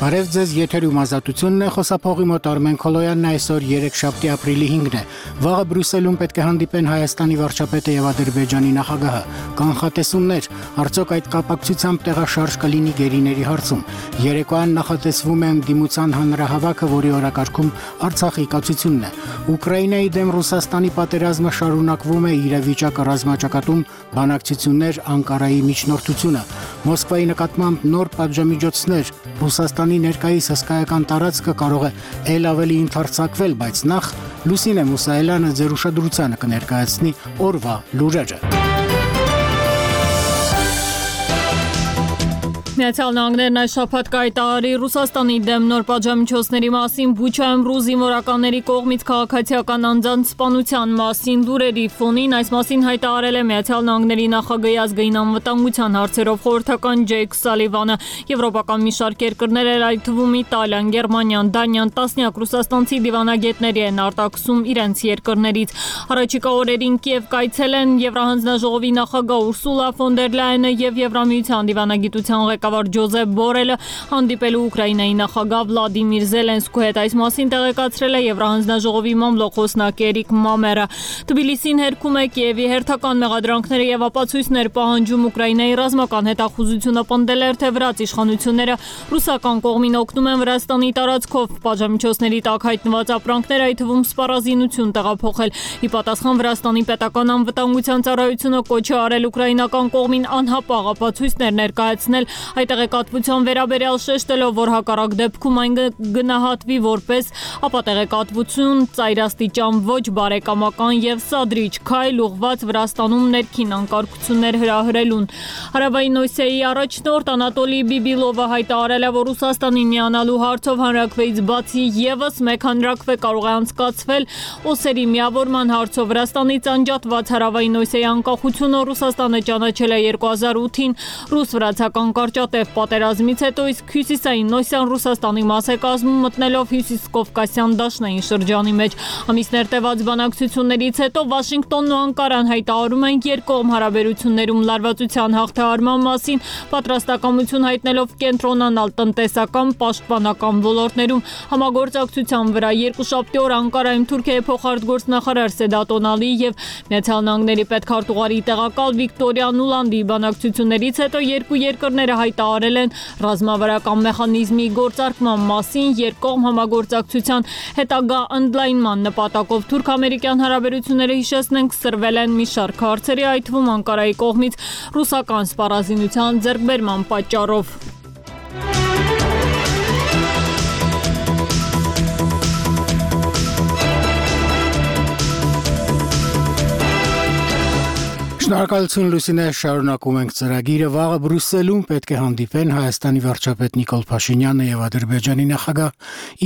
Բարև ձեզ, եթերում ազատությունն է, խոսափողի մոտ Արմեն Քոլոյանն այսօր 3-շաբթի ապրիլի 5-ն է։ Վաղը Բրյուսելում պետք է հանդիպեն Հայաստանի վարչապետը եւ Ադրբեջանի նախագահը։ Կանխատեսումներ, արդյոք այդ կապակցությամբ տեղաշարժ կլինի գերիների հարցում։ Երեկոյան նախատեսվում է ընդդիմության հանրահավաքը, որի օրակարգում Արցախի կացությունն է։ Ուկրաինայի դեմ Ռուսաստանի պատերազմը շարունակվում է, իրավիճակը ռազմաճակատում բանակցություններ, Անկարայի միջնորդությունը։ Մոսկվայի նկատմամբ նոր պատժամիջոցներ, Ռուսաստանի ներկայիս հսկայական տարածքը կարող է ել ավելի ընդարձակվել, բայց նախ Լուսինե Մուսայելյանը ձեր ուշադրությանը կներկայացնի օրվա լուրերը։ Միացյալ Նահանգներն այս շաբաթ կայտարարի Ռուսաստանի դեմ նոր պատժամիջոցների մասին, Բուչայում ռուս զինվորականների կողմից քաղաքացիական անձանց սպանության մասին լուրերի ֆոնին այս մասին հայտարարել է Միացյալ Նահանգների նախագահի ազգային անվտանգության հարցերով խորհրդական Ջեյք Սալիվանը։ Եվրոպական մի շարք երկրներ, այդ թվում Իտալիան, Գերմանիան, Դանիան, տասնյակ ռուսաստանցի դիվանագետների են արտաքսում իրենց երկրներից։ Առաջիկա օրերին Կիև կայցել են Եվրահանձնաժողովի նախագահ Ուրսուլա ֆոն դեր Լայենը եւ Եվրամիության դիվանագիտության ղեկավար Ջոզեփ Բորելը հանդիպելու Ուկրաինայի նախագահ Վլադիմիր Զելենսկու հետ։ Այս մասին տեղեկացրել է Եվրահանձնաժողովի մամլոք խոսնակ Էրիկ Մամերը։ Թբիլիսին հերքում է Կիևի հերթական մեղադրանքները եւ ապացույցներ պահանջում Ուկրաինայի ռազմական հետախուզությունը պնդել էր, թե վրաց իշխանությունները ռուսական կողմին օգնում են Վրաստանի տարածքով պատժամիջոցների տակ հայտնված ապրանքներ, այդ թվում սպառազինություն տեղափոխել։ Ի պատասխան Վրաստանի պետական անվտանգության ծառայությունը կոչ է արել ուկրաինական կողմին անհապաղ ապացույցներ ներկայացնել, այդ տեղեկատվության վերաբերյալ շեշտելով, որ հակառակ դեպքում այն գնահատվի որպես ապատեղեկատվություն, ծայրաստիճան ոչ բարեկամական եւ սադրիչ քայլ ուղղված Վրաստանում ներքին անկարգություններ հրահրելուն։ Հարավային Օսիայի առաջնորդ Անատոլի Բիբիլովը հայտարարել է, որ Ռուսաստանին միանալու հարցով հանրաքվեից բացի եւս մեկ հանրաքվե կարող է անցկացվել օսերի միավորման հարցով։ Վրաստանից անջատված Հարավային Օսիայի անկախությունը Ռուսաստանը ճանաչել է 2008-ին ռուս-վրացական կարճատև պատերազմից հետո, իսկ հյուսիսային Օսիան Ռուսաստանի մաս է կազմում, մտնելով հյուսիս-կովկասյան դաշնային շրջանի մեջ։ Ամիսներ տևած բանակցություններից հետո Վաշինգտոնն ու Անկարան հայտարարում են երկկողմ հարաբերություններում լարվածության հաղթահարման մասին, պատրաստակամություն հայտնելով կենտրոնանալ տնտեսական, պաշտպանական ոլորտներում։ Համագործակցության վրա երկուշաբթի օր Անկարայում Թուրքիայի փոխարտգործնախարար Սեդատ Օնալի եւ Միացյալ Նահանգների պետքարտուղարի տեղակալ Վիկտորիա Նուլանդի բանակցություններից հետո երկու երկրները հայտարարել են ռազմավարական մեխանիզմի գործարկման մասին երկկողմ համագործակցության հետագա ընդլայնման նպատակով։ Թուրք-ամերիկյան հարաբերությունները, հիշեցնենք, սրվել են մի շարք հարցերի, այդ թվում Անկարայի կողմից ռուսական սպառազինության ձեռքբերման պատճառով։ Շնորհակալություն Լուսինե, շարունակում ենք ծրագիրը։ Վաղը Բրյուսելում պետք է հանդիպեն Հայաստանի վարչապետ Նիկոլ Փաշինյանը եւ Ադրբեջանի նախագահ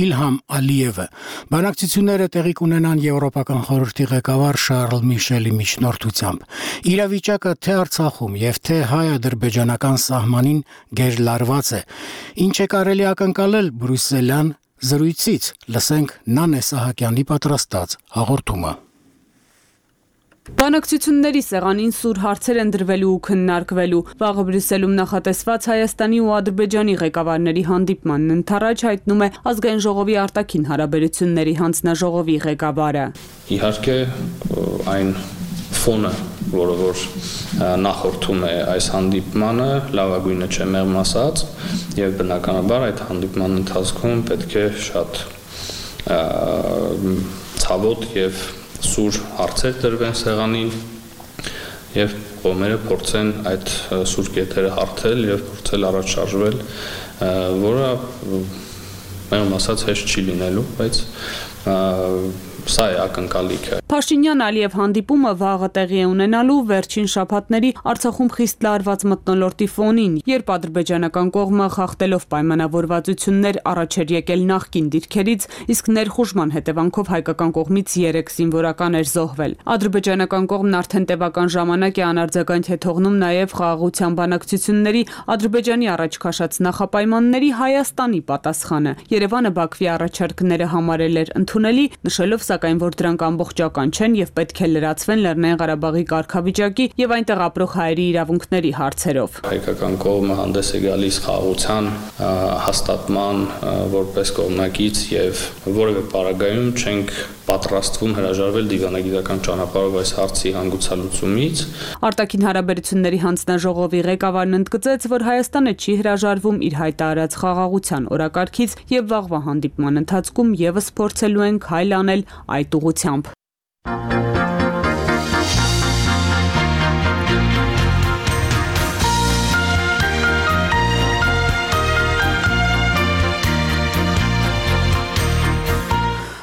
Իլհամ Ալիևը։ Բանակցությունները տեղի կունենան Եվրոպական խորհրդի ղեկավար Շարլ Միշելի միջնորդությամբ։ Իրավիճակը թե Արցախում եւ թե հայ-ադրբեջանական սահմանին գերլարված է։ Ինչ է կարելի ակնկալել բրյուսելյան զրույցից։ Լսենք Նանե Սահակյանի պատրաստած հաղորդումը։ Բանակցությունների սեղանին սուր հարցեր են դրվելու ու քննարկվելու։ Վաղը Բրյուսելում նախատեսված Հայաստանի ու Ադրբեջանի ղեկավարների հանդիպմանն ընդառաջ հայտնում է Ազգային ժողովի արտաքին հարաբերությունների հանձնաժողովի ղեկավարը։ Իհարկե այն ֆոնը, որ նախորդում է այս հանդիպմանը, լավագույնը չէ մեղմ ասած, եւ բնականաբար այդ հանդիպման ընթացքում պետք է շատ ցավոտ եւ սուր հարցեր դրվեն սեղանին եւ կողմերը փորձեն այդ սուր կետերը հարթել եւ փորձել առաջ շարժվել, որը մեղմ ասած հեշտ չի լինելու, բայց սա է ակնկալիքը։ Փաշինյան-Ալիև հանդիպումը վաղը տեղի է ունենալու վերջին շաբաթների Արցախում խիստ լարված մթնոլորտի ֆոնին, երբ ադրբեջանական կողմը խախտելով պայմանավորվածություններ առաջ էր եկել նախկին դիրքերից, իսկ ներխուժման հետևանքով հայկական կողմից 3 զինվորական էր զոհվել։ Ադրբեջանական կողմն արդեն տևական ժամանակ է անարձագանք է թողնում նաև խաղաղության բանակցությունների Ադրբեջանի առաջ քաշած նախապայմանների Հայաստանի պատասխանը։ Երևանը Բաքվի առաջարկները համարել էր ընդունելի, նշելով սակայն, որ դրանք ամբողջական բավական չեն եւ պետք է լրացվեն Լեռնային Ղարաբաղի կարգավիճակի եւ այնտեղ ապրող հայերի իրավունքների հարցերով։ Հայկական կողմը հանդես է գալիս խաղաղության հաստատման որպես կողմնակից եւ որևէ պարագայում չենք պատրաստվում հրաժարվել դիվանագիտական ճանապարհով այս հարցի հանգուցալուծումից։ Արտաքին հարաբերությունների հանձնաժողովի ղեկավարն ընդգծեց, որ Հայաստանը չի հրաժարվում իր հայտարարած խաղաղության օրակարգից եւ վաղվա հանդիպման ընթացքում եւս փորձելու են քայլ անել այդ ուղղությամբ։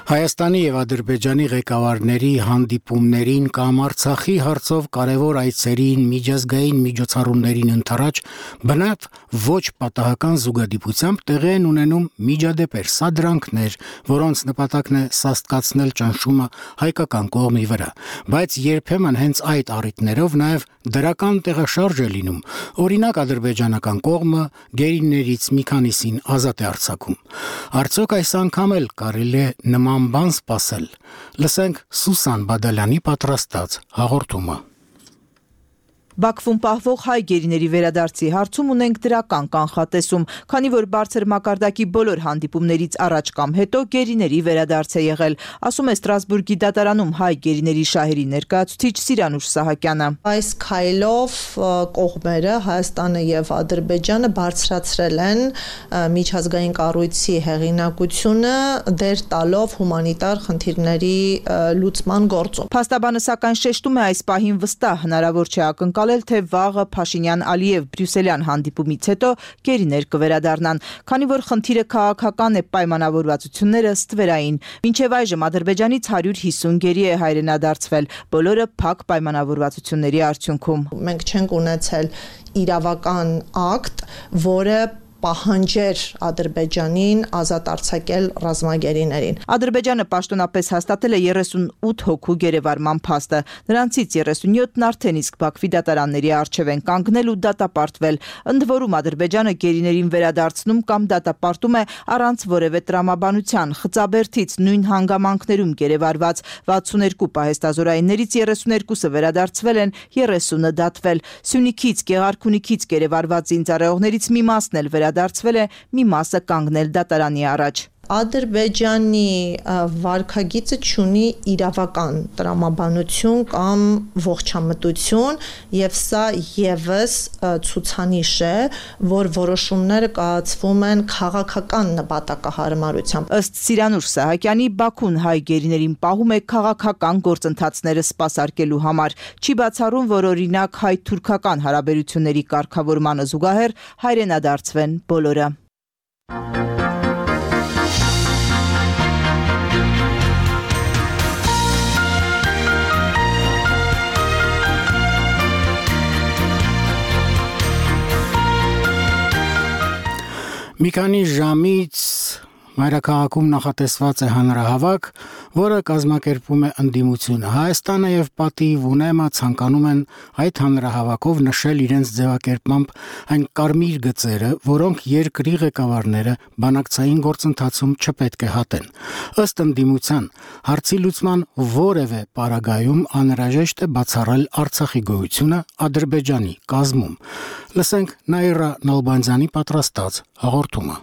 Հայաստանի եւ Ադրբեջանի ղեկավարների հանդիպումներին կամ Արցախի հարցով կարևոր այցերին, միջազգային միջոցառումներին ընթരാճ բնավ ոչ պատահական զուգադիպությամբ տեղի են ունենում միջադեպեր, սադրանքներ, որոնց նպատակն է սաստկացնել ճնշումը հայկական կողմի վրա, բայց երբեմն հենց այդ առիթներով նաեւ դրական տեղաշարժ է լինում։ Օրինակ ադրբեջանական կողմը գերիներից մի քանիսին ազատ է արձակում։ Արդյոք այս անգամ էլ կարելի է նման բան սպասել։ Լսենք Սուսան Բադալյանի պատրաստած հաղորդումը։ Բաքվում պահվող հայ գերիների վերադարձի հարցում ունենք դրական կանխատեսում, քանի որ բարձր մակարդակի բոլոր հանդիպումներից առաջ կամ հետո գերիների վերադարձ է եղել, ասում է Ստրասբուրգի դատարանում հայ գերիների շահերի ներկայացուցիչ Սիրանուշ Սահակյանը։ Այս քայլով կողմերը Հայաստանը եւ Ադրբեջանը բարձրացրել են միջազգային կառույցի հեղինակությունը դեր տալով հումանիտար խնդիրների լուծման գործում։ Փաստաբանը սակայն շեշտում է այս պահին վստահ հնարավոր չէ ակնկալել, թե վաղը Փաշինյան-Ալիև Բրյուսելյան հանդիպումից հետո գերիներ կվերադառնան, քանի որ խնդիրը քաղաքական է, պայմանավորվածությունները ստվերային։ Մինչև այժմ Ադրբեջանից 150 գերի է հայրենադարձվել, բոլորը փակ պայմանավորվածությունների արդյունքում։ Մենք չենք ունեցել իրավական ակտ, որը պահանջեր Ադրբեջանին ազատ արձակել ռազմագերիներին։ Ադրբեջանը պաշտոնապես հաստատել է 38 հոգու գերեվարման փաստը։ Նրանցից 37-ն արդեն իսկ Բաքվի դատարանների առջև են կանգնել ու դատապարտվել։ Ընդ որում Ադրբեջանը գերիներին վերադարձնում կամ դատապարտում է առանց որևէ տրամաբանության։ Խծաբերդից նույն հանգամանքներում գերեվարված 62 պահեստազորայիններից 32-ը վերադարձվել են, 30-ը դատվել։ Սյունիքից, Գեղարքունիքից գերեվարված զինծառայողներից մի մասն էլ դարձվել է, մի մասը կանգնել դատարանի առաջ։ Ադրբեջանի վարքագիծը չունի իրավական տրամաբանություն կամ ողջամտություն եւ սա եւս ցուցանիշ է, որ որոշումները կայացվում են քաղաքական նպատակահարմարությամբ։ Ըստ Սիրանուշ Սահակյանի, Բաքուն հայ գերիներին պահում է քաղաքական գործընթացները սպասարկելու համար։ Չի բացառում, որ օրինակ հայ-թուրքական հարաբերությունների կարգավորմանը զուգահեռ հայրենադարձվեն բոլորը։ Մի քանի ժամից մայրաքաղաքում նախատեսված է հանրահավաք, որը կազմակերպում է ընդդիմությունը։ Հայաստանը եւ Պատիվ Ունեմը ցանկանում են այդ հանրահավաքով նշել իրենց ձևակերպմամբ այն կարմիր գծերը, որոնք երկրի ղեկավարները բանակցային գործընթացում չպետք է հատեն։ Ըստ ընդդիմության, հարցի լուծման որևէ պարագայում անհրաժեշտ է բացառել Արցախի գոյությունը Ադրբեջանի կազմում։ Լսենք Նաիրա Նալբանդյանի պատրաստած հաղորդումը։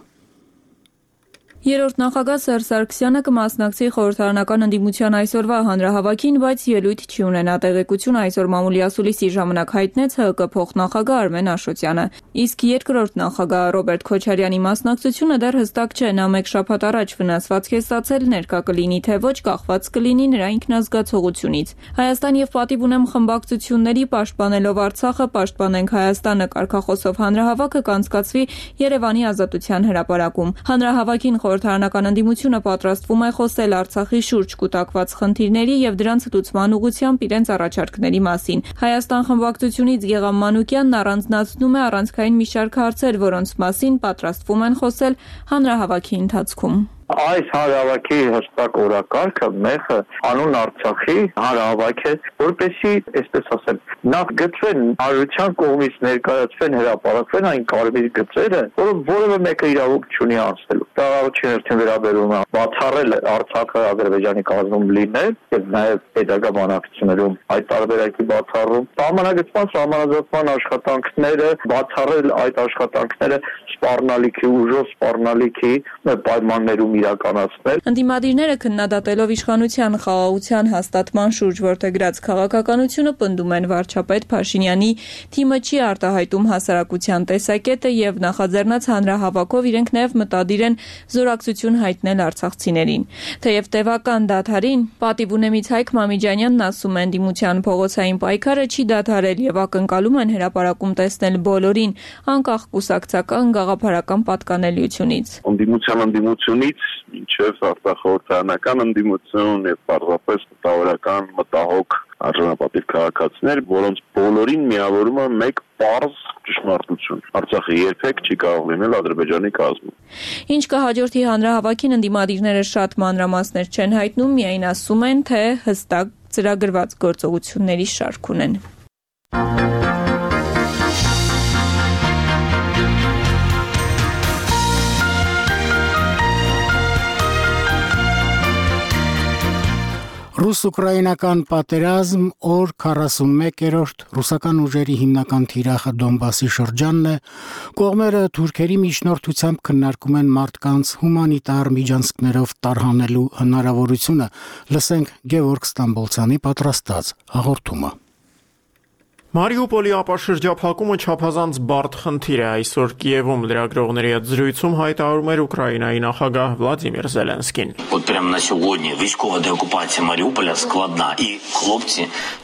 Երրորդ նախագահ Սերժ Սարգսյանը կմասնակցի խորհրդարանական ընդդիմության այսօրվա հանրահավաքին, բայց ելույթ չի ունենա տեղեկություն այսօր մամուլի ասուլիսի ժամանակ հայտնեց ՀԿ փոխնախագահ Արմեն Աշոտյանը։ Իսկ երկրորդ նախագահ Ռոբերտ Քոչարյանի մասնակցությունը դեռ հստակ չէ, նա մեկ շաբաթ առաջ վնասվածք է ստացել, ներկա կլինի թե ոչ, կախված կլինի նրա ինքնազգացողությունից։ Հայաստան եւ Պատիվ Ունեմ խմբակցությունների պաշտպանելով Արցախը, պաշտպանենք Հայաստանը կարգախոսով հանրահավաքը կանցկացվի Երևանի Ազատության հրապարակում։ Հանրահավաքին խորհրդարանական ընդդիմությունը պատրաստվում է խոսել Արցախի շուրջ կուտակված խնդիրների եւ դրանց լուծման ուղղությամբ իրենց առաջարկների մասին։ Հայաստան խմբակցությունից Գեգամ Մանուկյանն առանձնացնում է առանցքային մի շարք հարցեր, որոնց մասին պատրաստվում են խոսել հանրահավաքի ընթացքում։ Այս հանրահավաքի հստակ օրակարգը մեխը անուն Արցախի հանրահավաք է, որպեսզի, այսպես ասեմ, նախ գծվեն հանրության կողմից ներկայացվեն, հրապարակվեն այն կարմիր գծերը, որը որևէ մեկը իրավունք չունի անցնելու։ Դա առաջին հերթին վերաբերում է բացառել Արցախը Ադրբեջանի կազմում լինել եւ նաեւ պետական բանակցություններում այդ տարբերակի բացառում, սահմանագծման աշխատանքները, բացառել այդ աշխատանքները սպառնալիքի ուժով, սպառնալիքի պայմաններում իրականացնել։ Ընդդիմադիրները քննադատելով իշխանության խաղաղության հաստատման շուրջ որդեգրած քաղաքականությունը պնդում են վարչապետ Փաշինյանի թիմը չի արտահայտում հասարակության տեսակետը եւ նախաձեռնած հանրահավաքով իրենք նաեւ մտադիր են զորակցություն հայտնել արցախցիներին։ Թեև տևական դադարին պատիվ ունեմից Հայկ Մամիջանյանն ասում է ընդդիմության փողոցային պայքարը չի դադարել եւ ակնկալում են հրապարակում տեսնել բոլորին, անկախ կուսակցական գաղափարական պատկանելիությունից։ Ընդդիմությունից մինչև արտախորհրդարանական ընդդիմություն եւ պարզապես մտավորական մտահոգ արժանապատիվ քաղաքացիներ, որոնց բոլորին միավորում է մեկ պարզ ճշմարտություն. Արցախը երբեք չի կարող լինել Ադրբեջանի կազմում։ Ինչ կհաջորդի հանրահավաքին ընդդիմադիրները շատ մանրամասներ չեն հայտնում, միայն ասում են, թե հստակ ծրագրված գործողությունների շարք ունեն։ Ռուս-ուկրաինական պատերազմ օր 41-րդ ռուսական ուժերի հիմնական թիրախը Դոնբասի շրջանն է, կողմերը թուրքերի միջնորդությամբ քննարկում են մարդկանց հումանիտար միջանցքներով տարհանելու հնարավորությունը, լսենք Գևորգ Ստամբոլցյանի պատրաստած հաղորդումը։ Մարիուպոլի ապաշրջափակումը չափազանց բարդ խնդիր է այսօր Կիևում լրագրողների հետ զրույցում հայտարարում էր Ուկրաինայի նախագահ Վլադիմիր Զելենսկին։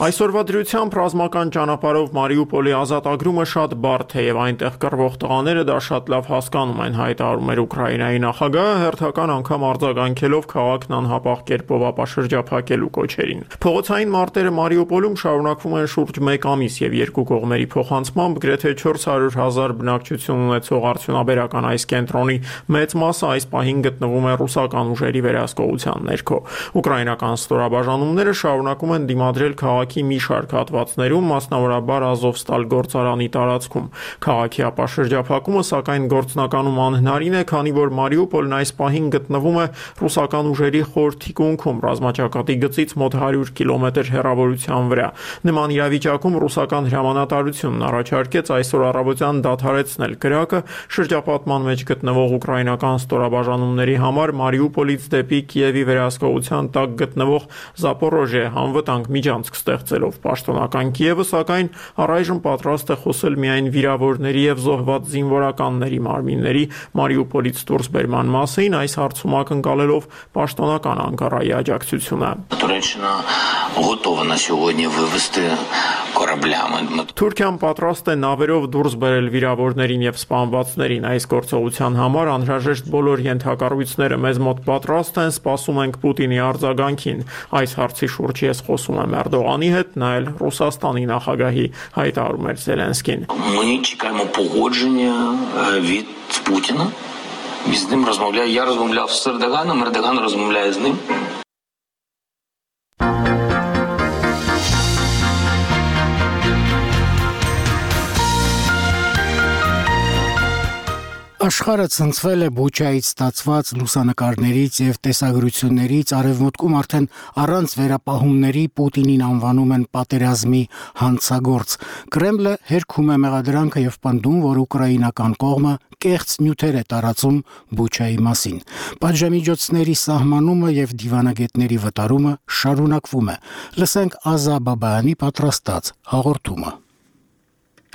Այսօրվա դրությամբ ռազմական ճանապարհով Մարիուպոլի ազատագրումը շատ բարդ է եւ այնտեղ կռվող տղաները դա շատ լավ հասկանում են, հայտարարում էր Ուկրաինայի նախագահը հերթական անգամ արձագանքելով քաղաքն անհապաղ կերպով ապաշրջափակելու կոչերին։ Փողոցային մարտերը Մարիուպոլում շարունակվում են շուրջ 1 ամիս եւ երկու կողմերի փոխանցմամբ գրեթե 400,000 բնակչություն ունեցող արդյունաբերական այս կենտրոնի մեծ մասը այս պահին գտնվում է ռուսական ուժերի վերահսկողության ներքո։ Ուկրաինական ստորաբաժանումները շարունակում են դիմադրել քաղաքի մի շարք հատվածներում, մասնավորաբար Ազովստալ գործարանի տարածքում։ Քաղաքի ապաշրջափակումը սակայն գործնականում անհնարին է, քանի որ Մարիուպոլն այս պահին գտնվում է ռուսական ուժերի խոր թիկունքում, ռազմաճակատի գծից մոտ 100 կիլոմետր հեռավորության վրա։ Նման իրավիճակում ռուսական հրամանատարությունն առաջարկեց այսօր առավոտյան դադարեցնել կրակը շրջապատման մեջ գտնվող ուկրաինական ստորաբաժանումների համար Մարիուպոլից դեպի Կիևի վերահսկողության տակ գտնվող Զապորոժիե անվտանգ միջանցք ստեղծելով։ Պաշտոնական Կիևը սակայն առայժմ պատրաստ է խոսել միայն վիրավորների եւ զոհված զինվորականների մարմինների Մարիուպոլից դուրս բերման մասին, այս հարցում ակնկալելով պաշտոնական Անկարայի աջակցությունը։ Թուրքիան պատրաստ է նավերով դուրս բերել վիրավորներին եւ սպանվածներին։ Այս գործողության համար անհրաժեշտ բոլոր ենթակառույցները մեզ մոտ պատրաստ են, սպասում ենք Պուտինի արձագանքին։ Այս հարցի շուրջ ես խոսում եմ Էրդողանի հետ, նա էլ Ռուսաստանի նախագահի, հայտարարում էր Զելենսկին։ Я розмовляв з Ердоганом, Ердоган розмовляє з ним. Աշխարհը ցնցվել է Բուչայից ստացված լուսանկարներից եւ տեսագրություններից, արևմուտքում արդեն առանց վերապահումների Պուտինին անվանում են պատերազմի հանցագործ։ Կրեմլը հերքում է մեղադրանքը եւ պնդում, որ ուկրաինական կողմը կեղծ նյութեր է տարածում Բուչայի մասին։ Պատժամիջոցների սահմանումը եւ դիվանագետների վտարումը շարունակվում է։ Լսենք Ազա Բաբայանի պատրաստած հաղորդումը։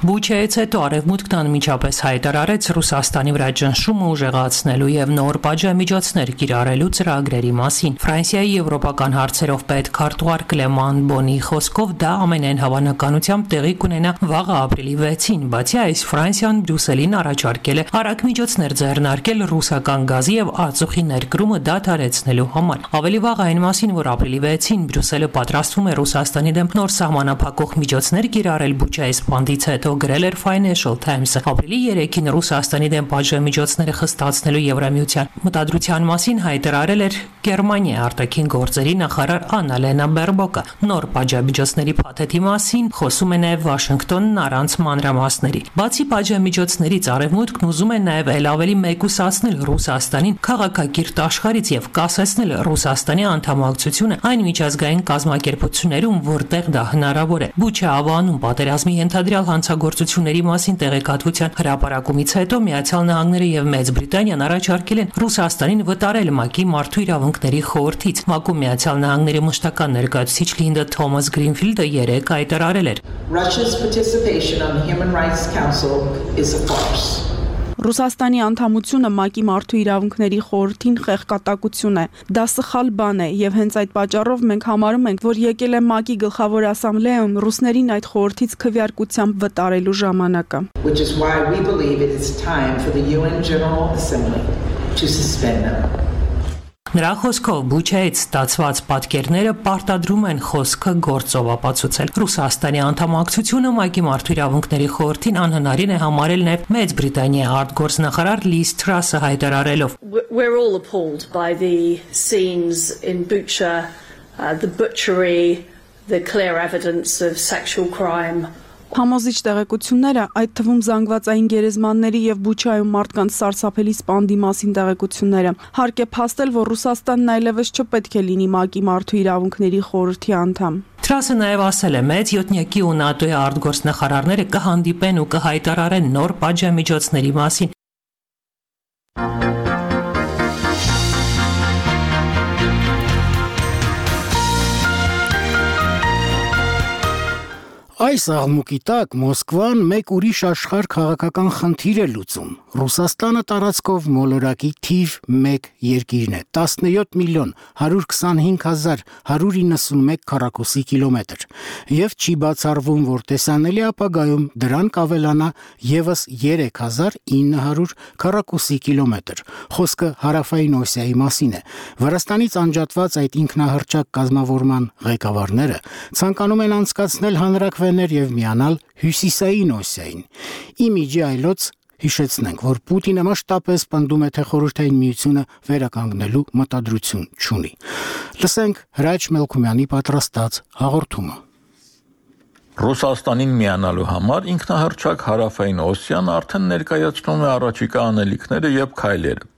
Բուչայից հետո արևմուտքն անմիջապես հայտարարեց Ռուսաստանի վրա ճնշումը ուժեղացնելու եւ նոր պատժամիջոցներ կիրառելու ծրագրերի մասին։ Ֆրանսիայի եվրոպական հարցերով պետ քարտուղար Կլեման Բոնի խոսքով դա ամենայն հավանականությամբ տեղի կունենա վաղը ապրիլի 6-ին, բացի այս Ֆրանսիան Բրյուսելին առաջարկել է արագ միջոցներ ձեռնարկել ռուսական գազի եւ ածուխի ներկրումը դադարեցնելու համար։ Ավելի վաղ այն մասին, որ ապրիլի 6-ին Բրյուսելը պատրաստվում է Ռուսաստանի դեմ նոր սահմանափակող միջոցներ կիրառել Բուչայի սպանդից հետ, հետո գրել էր Financial Times-ը։ Ապրիլի 3-ին Ռուսաստանի դեմ պատժամիջոցները խստացնելու Եվրամիության մտադրության մասին հայտարարել էր Գերմանիայի արտաքին գործերի նախարար Աննալենա Բերբոկը։ Նոր պատժամիջոցների փաթեթի մասին խոսում է նաև Վաշինգտոնն առանց մանրամասների։ Բացի պատժամիջոցներից Արևմուտքն ուզում է նաև ավելի մեկուսացնել Ռուսաստանին քաղաքակիրթ աշխարհից եւ կասեցնել Ռուսաստանի անդամակցությունը այն միջազգային կազմակերպություններում, որտեղ դա հնարավոր է։ Բուչա ավանում պատերազմի ենթադրյալ հանցագործությունների մասին տեղեկատվության հրապարակումից հետո Միացյալ Նահանգները եւ Մեծ Բրիտանիան առաջարկել են Ռուսաստանին վտարել ՄԱԿ-ի Մարդու իրավունքների խորհրդից։ ՄԱԿ-ում Միացյալ Նահանգների մշտական ներկայացուցիչ Լինդա Թոմաս Գրինֆիլդը երեկ հայտարարել էր. Russia's participation on the Human Rights Council is a farce. Ռուսաստանի անդամությունը ՄԱԿ-ի Մարդու իրավունքների խորհրդին խեղկատակություն է։ Դա սխալ բան է եւ հենց այդ պատճառով մենք համարում ենք, որ եկել է ՄԱԿ-ի գլխավոր ասամբլեայում ռուսներին այդ խորհրդից քվեարկությամբ վտարելու ժամանակը։ Which is why we believe it is time for the UN General Assembly to suspend them. Նրա խոսքով Բուչայից ստացված պատկերները պարտադրում են խոսքը գործով ապացուցել։ Ռուսաստանի անդամակցությունը ՄԱԿ-ի Մարդու իրավունքների խորհրդին անհնարին է համարել նաև Մեծ Բրիտանիայի արտգործնախարար Լիզ Թրասը հայտարարելով. We're all appalled by the scenes in Bucha, the butchery, the clear evidence of sexual crime. Համոզիչ տեղեկությունները, այդ թվում զանգվածային գերեզմանների եւ Բուչայում մարդկանց սարսափելի սպանդի մասին տեղեկությունները, հարկ է փաստել, որ Ռուսաստանն այլևս չպետք է լինի ՄԱԿ-ի Մարդու իրավունքների խորհրդի անդամ։ Թրասը նաև ասել է, Մեծ յոթնյակի ու ՆԱՏՕ-ի արտգործնախարարները կհանդիպեն ու կհայտարարեն նոր պատժամիջոցների մասին։ Այս աղմուկի տակ Մոսկվան մեկ ուրիշ աշխարհ քաղաքական խնդիր է լուծում։ Ռուսաստանը տարածքով մոլորակի թիվ 1 երկիրն է, 17 միլիոն 125 հազար 191 քառակուսի կիլոմետր, եւ չի բացառվում, որ տեսանելի ապագայում դրան կավելանա եւս 3900 քառակուսի կիլոմետր։ Խոսքը Հարավային Օսիայի մասին է։ Վրաստանից անջատված այդ ինքնահռչակ կազմավորման ղեկավարները ցանկանում են անցկացնել հանրաքվեներ եւ միանալ Հյուսիսային Օսիային։ Իմիջի այլոց հիշեցնենք, որ Պուտինը մշտապես պնդում է, թե Խորհրդային Միությունը վերականգնելու մտադրություն չունի։ Լսենք Հրաչ Մելքումյանի պատրաստած հաղորդումը։ Ռուսաստանին միանալու համար ինքնահռչակ Հարավային Օսիան արդեն ներկայացնում է առաջիկա անելիքները եւ քայլերը։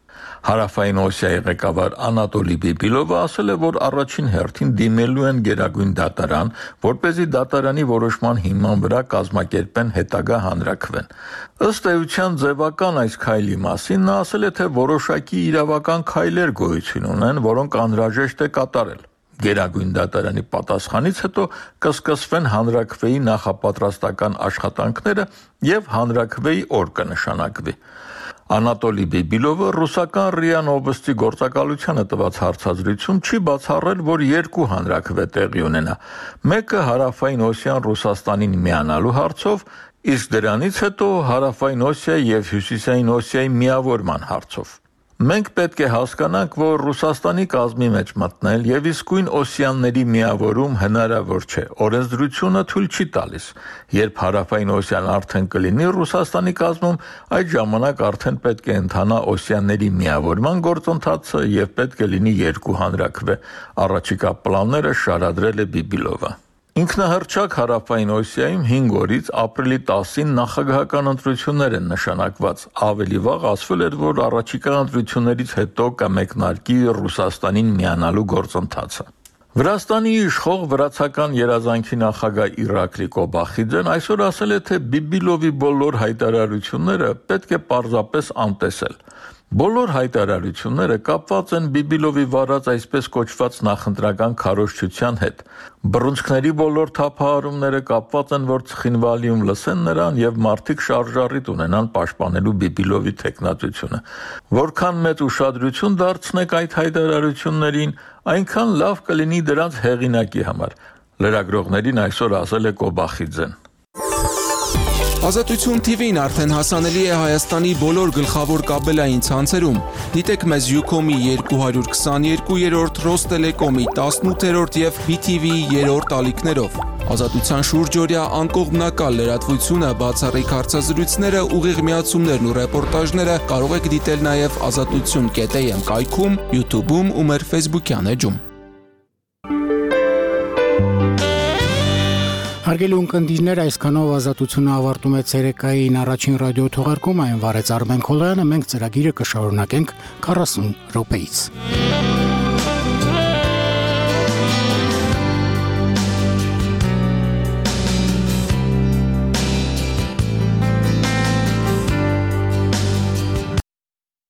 Հարավային Օսիայի ղեկավար Անատոլի Բիբիլովը ասել է, որ առաջին հերթին դիմելու են Գերագույն դատարան, որպեսզի դատարանի որոշման հիման վրա կազմակերպեն հետագա հանրաքվեն։ Ըստ էության ձևական այս քայլի մասին նա ասել է, թե որոշակի իրավական քայլեր գոյություն ունեն, որոնք անհրաժեշտ է կատարել։ Գերագույն դատարանի պատասխանից հետո կսկսվեն հանրաքվեի նախապատրաստական աշխատանքները եւ հանրաքվեի օր կնշանակվի։ Անատոլի Բիբիլովը ռուսական ՌԻԱ Նովոստի գործակալությանը տված հարցազրույցում չի բացառել, որ երկու հանրաքվե տեղի ունենա։ Մեկը Հարավային Օսիան Ռուսաստանին միանալու հարցով, իսկ դրանից հետո Հարավային Օսիայի եւ Հյուսիսային Օսիայի միավորման հարցով։ Մենք պետք է հասկանանք, որ Ռուսաստանի կազմի մեջ մտնել եւ իսկույն օսիանների միավորում հնարավոր չէ։ Օրենսդրությունը թույլ չի տալիս։ Երբ Հարավային Օսիան արդեն կլինի Ռուսաստանի կազմում, այդ ժամանակ արդեն պետք է ընթանա օսիանների միավորման գործընթացը եւ պետք է լինի երկու հանրաքվե։ Առաջիկա պլանները շարադրել է Բիբիլովը։ Ինքնահռչակ Հարավային Օսիայում 5 օրից ապրիլի 10-ին նախագահական ընտրություններ են նշանակված։ Ավելի վաղ ասվել էր, որ առաջիկա ընտրություններից հետո կմեկնարկի Ռուսաստանին միանալու գործընթացը։ Վրաստանի իշխող վրացական երազանքի նախագահ Իրակլի Կոբախիձեն այսօր ասել է, թե Բիբիլովի բոլոր հայտարարությունները պետք է պարզապես անտեսել։ Բոլոր հայտարարությունները կապված են Բիբիլովի վարած այսպես կոչված նախընտրական քարոզչության հետ։ Բռունցքների բոլոր թափահարումները կապված են, որ ցխինվալիում լսեն նրան եւ մարդիկ շարժառիթ ունենան պաշտպանելու Բիբիլովի թեկնածությունը։ Որքան մեծ ուշադրություն դարձնեք այդ հայտարարություններին, այնքան լավ կլինի դրանց հեղինակի համար։ Լրագրողներին այսօր ասել է Կոբախիձեն։ Ազատություն TV-ն արդեն հասանելի է Հայաստանի բոլոր գլխավոր կաբելային ցանցերում։ Դիտեք մեզ Ucom-ի 222-րդ, Rosttelecom-ի 18-րդ եւ BTV-ի 3-րդ ալիքներով։ Ազատության շուրջօրյա անկողմնակալ լրատվությունը, բացառիկ հարցազրույցները, ուղիղ միացումներն ու ռեպորտաժները կարող եք դիտել նաև azatutsun.am կայքում, YouTube-ում ու մեր Facebook-յան էջում։ Հարգելի ունկնդիրներ, այսքանով Ազատությունը ավարտում է ցերեկային առաջին ռադիո թողարկումը, այն վարեց Արմեն Քոլոյանը, մենք ծրագիրը կշարունակենք 40 րոպեից։